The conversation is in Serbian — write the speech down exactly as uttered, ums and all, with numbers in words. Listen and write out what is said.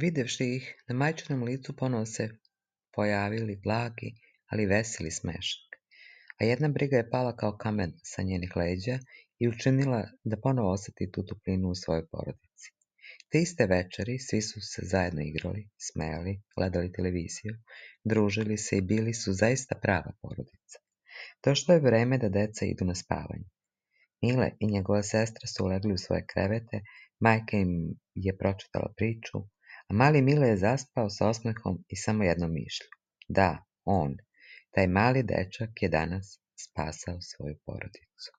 Videvši ih, na majčinom licu ponovo se pojavili blagi, ali veseli smešak, a jedna briga je pala kao kamen sa njenih leđa i učinila da ponovo oseti tu toplinu u svojoj porodici. Te iste večeri svi su se zajedno igrali, smejali, gledali televiziju, družili se i bili su zaista prava porodica. Došlo je vreme da deca idu na spavanje. Mile i njegova sestra su ulegli u svoje krevete, majka im je pročitala priču, a mali Mile je zaspao sa osmehom i samo jednom mišlju. Da, on, taj mali dečak je danas spasao svoju porodicu.